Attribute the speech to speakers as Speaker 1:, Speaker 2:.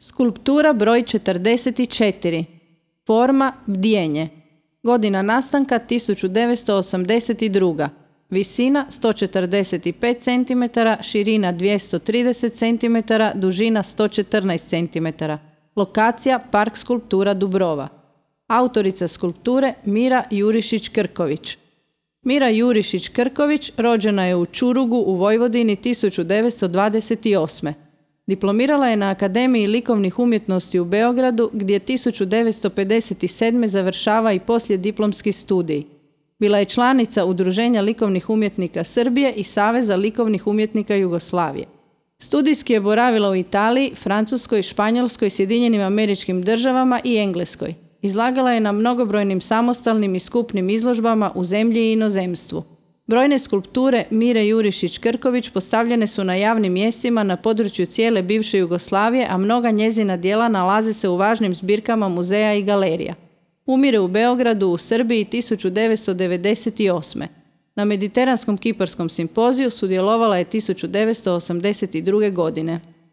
Speaker 1: Skulptura broj 44. Forma bdijenje. Godina nastanka 1982. Visina 145 cm, širina 230 cm, dužina 114 cm. Lokacija Park skulptura Dubrova. Autorica skulpture Mira Jurišić-Krković. Mira Jurišić-Krković rođena je u Čurugu u Vojvodini 1928. Diplomirala je na Akademiji likovnih umjetnosti u Beogradu gdje 1957. završava i poslijediplomski studij. Bila je članica Udruženja likovnih umjetnika Srbije i Saveza likovnih umjetnika Jugoslavije. Studijski je boravila u Italiji, Francuskoj, Španjolskoj, Sjedinjenim Američkim Državama i Engleskoj. Izlagala je na mnogobrojnim samostalnim i skupnim izložbama u zemlji i inozemstvu. Brojne skulpture Mire Jurišić-Krković postavljene su na javnim mjestima na području cijele bivše Jugoslavije, a mnoga njezina djela nalaze se u važnim zbirkama muzeja i galerija. Umire u Beogradu u Srbiji 1998. Na Mediteranskom kiparskom simpoziju sudjelovala je 1982. godine.